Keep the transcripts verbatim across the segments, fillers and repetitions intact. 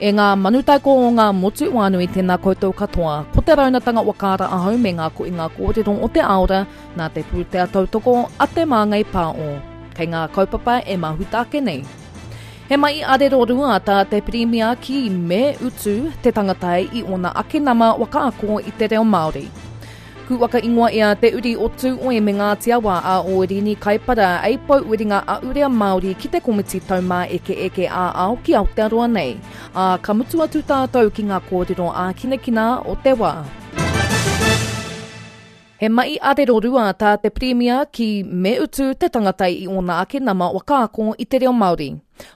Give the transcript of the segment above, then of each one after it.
E ngā manutaiko o ngā motu wānui tēnā koutou katoa. Ko te raunatanga wakaara ahau me ngā koinga kōrero o te aora nā te pūtea tautoko a te Māngai Pāo. Kei ngā kaupapa e mahuta ake nei. He mai arero rua tā te pirimia ki me utu te tangata i ona ake nama wakaako i te reo Māori. Kūwaka ingoa ia te uri o Tūoi me Ngāti Awa a Ōrini Kaipara ei pau uringa a Urea Māori ki te komiti taumā eke eke ā ao ki Aotearoa nei. Ā, ka mutu atu tātou ki ngā kōrero ā-kinakina o te wā. He mai arero rua tā te Pirimia ki me utu te tangata i ōna ake nama wakaako i te reo Māori.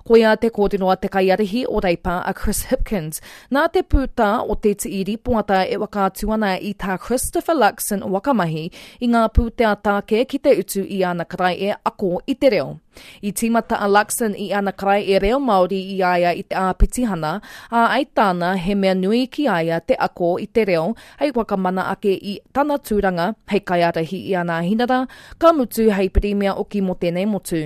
Koia te kōrero a te kaiarihi o Reipa a Chris Hipkins. Nā te pūtā o te tii ripoata e whakaatu ana i tā Christopher Luxon wakamahi i ngā pūtea tāke ki te utu i ana karae e ako i te reo. I tīmata a Luxon i ana karae e reo Māori i aia i te āpitihana, a ai tāna he mea nui ki aia te ako i te reo hei whakamana ake i tana tūranga hei kaiarahi i ana hinara, ka mutu hei pirimia oki mō tēnei motu.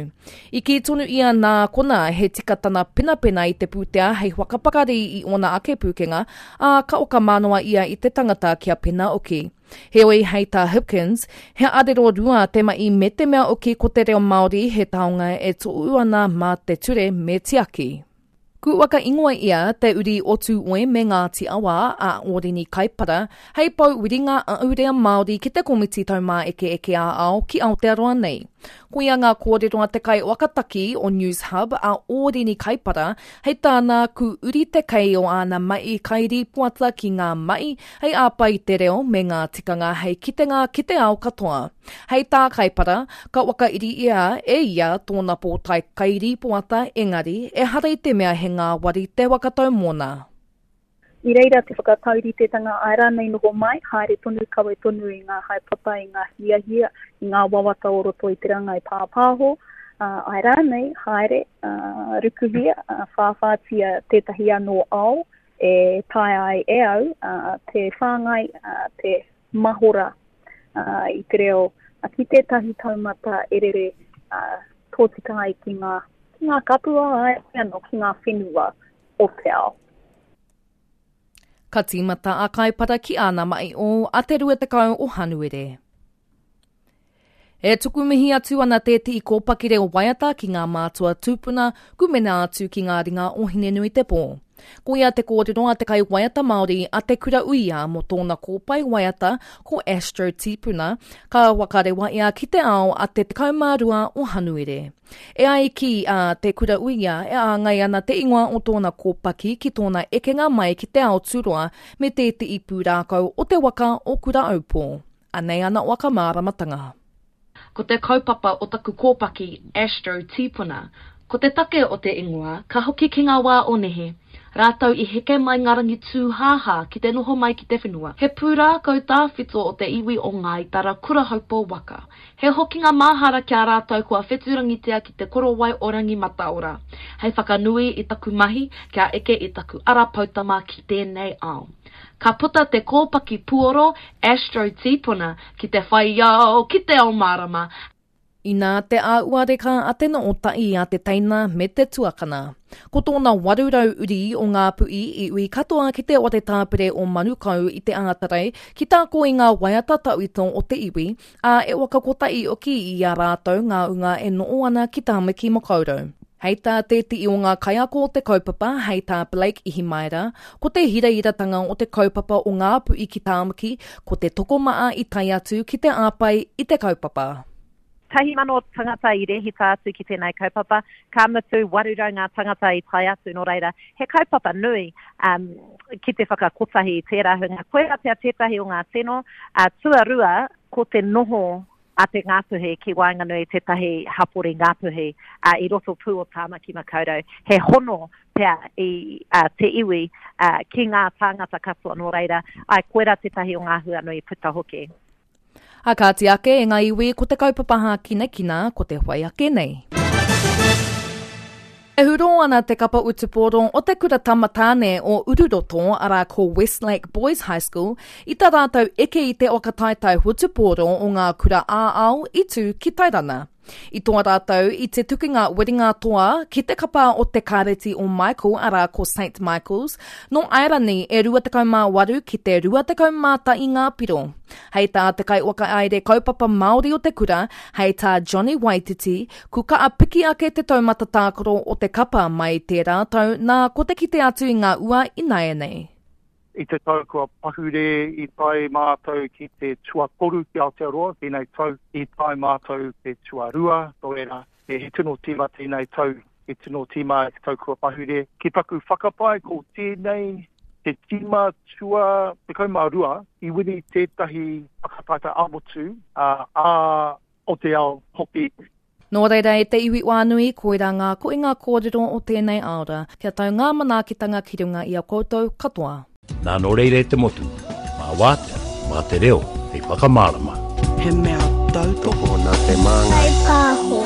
I kī tonu ia nā kona he tika tana penapena i te pūtea hei whakapakari i ōna ake pūkenga, ā, ka okamānoa ia i te tangata kia pena oki. Heoi hei tā Hipkins, he arero rua te mai me te mea oki ko te reo Māori he taonga e tōu ana mā te ture me tiaki. Kūwaka ingoa ia te uri o Tūoi me Ngāti Awa a Ōrini Kaipara hei pau wiringa a Urea Māori ki te komiti taumāeke eke ā ao ki Aotearoa nei. Koia ngā kōrero a te kai wakataki o News Hub a Ōrini Kaipara hei tāna ku uri te kei o āna mai kairi puata ki ngā mai hei āpai te reo me ngā tikanga hei kitenga ki te ao katoa. Hei tā Kaipara, ka wakairi ia e ia tōna pōtae kairi puata engari e hara i te mea he ngāwari te wakatau mōna. I reira te whakatauritetanga ai rānei noho mai, haere tonu kawe tonu i ngā haepapa, i ngā hiahia, i ngā wawata o roto i te rangai pāpāho, uh, ai rānei, haere, uh, rukuhia, uh, whāwhātia tētahi anō ao e tae ai e au uh, te whāngai, uh, te mahora uh, i te reo uh, ki tētahi taumata e rere uh, tōtika ai ki ngā, ki ngā kapua ai anō ki ngā whenua o te ao. Ka tīmata a Kaipara ki āna mai o a te rua tekau o Hanuere. E tuku mihi atu ana tētehi kōpaki reo waiata ki ngā mātua tūpuna kumena atu ki ngā ringa o Hinenui te Pō. Koia te kōrero a te kai waiata Māori a te Kura Uia mō tōna kōpai waiata ko Astro Tīpuna, ka wakarewa ia ki te ao a te tekau mā rua o Hanuere. E ai ki a te Kura Uia e āngai ana te ingoa o tōna kōpaki ki tōna ekenga mai ki te ao tūroa me tētehi pūrākau o te waka o Kura Aupō. Anei ana waka māramatanga. Ko te kaupapa o taku kōpaki Astro Tīpuna. Ko te take o te ingoa, ka hoki ki ngā wā o nehe. Rātou i heke mai ngā rangi tūhāhā ki te noho mai ki te whenua. He pūrākau tāwhito o te iwi o Ngāi Tara Kurahaupo waka. He hokinga māhara ki a rātou kua wheturangitia ki te korowai o Rangi Mataora. Hei whakanui i taku mahi kia eke i taku ara poutama ki tēnei ao. Ka puta te kōpaki puoro Astro Tīpuna ki te whai ao, ki te ao mārama. Inā te āuareka a te nootai a te teina me te tuakana. Ko tōna warurau uri o ngā pu'i i ui katoa ki te ware tāpere o Manukau i te ātarei ki tāko i ngā waiata tauito o te iwi, a e wakakotahi oki i a rātou ngā unga e noo ana ki Tāmaki Makaurau. Hei tā tētehi o ngā kaiako o te kaupapa, hei tā Blake Ihimaera, ko te hirairatanga o te kaupapa o ngā pu'i ki Tāmaki, ko te tokomaa i tae atu ki te āpai i te kaupapa. Tahi mano tangata i rehita atu ki tēnei kaupapa, ka mutu warurau ngā tangata i tae atu, nō reira, he kaupapa nui um, ki te whakakotahi i tērā hunga. Koira pea tētahi o ngā tino, uh, tuarua, ko te noho a te Ngāpuhi ki waenganui tētahi hapori Ngāpuhi uh, i roto pū o Tāmaki Makaurau. He hono pea i uh, te iwi uh, ki ngā tāngata katoa nō reira, ai koira tētahi o ngā hua nui puta hoki. A kāti ake e ngā iwi ko te kaupapa hākinakina ko te whai ake nei. E huro ana te kapa utupōro o te kura tamatāne o Ururoto, arā ko Westlake Boys High School, i tā rātou eke i te whakataetae hutupōro o ngā kura ā-ao i tū ki Tairana. I toa rātou i te tukinga whiringa toa ki te kapa o te Kāreti o Michael, arā ko Saint Michaels, nō Airani e rua tekau mā waru ki te rua tekau mā tahi ngā piro. Hei tā te kaiwhakahaere kaupapa Māori o te kura, hei tā Johnny Waititi, ku kaa piki ake te taumata tākaro o te kapa mai tērā tau nā ko te kite atu i ngā ua ināianei. I te tau kua pahure i tae mātou ki te tuatoru ki Aotearoa, tēnei tau i tae mātou te tuarua, tō reira, he tino tīma tēnei tau, he tino tīma i te tau kua pahure. Ki taku whakapae ko tēnei te tīma tua tekau mā rua i wini tētahi whakataetae ā-motu, ā, ā, o te ao hoki. Nō reira e te iwi whānui, koirā ngā koinga kōrero o tēnei aora, kia tau ngā manaakitanga ki runga i a koutou katoa. Nā nō reira e te motu, mā wātea, mā te reo, hei whakamārama. He mea tautoko nā te māngai. Pāho.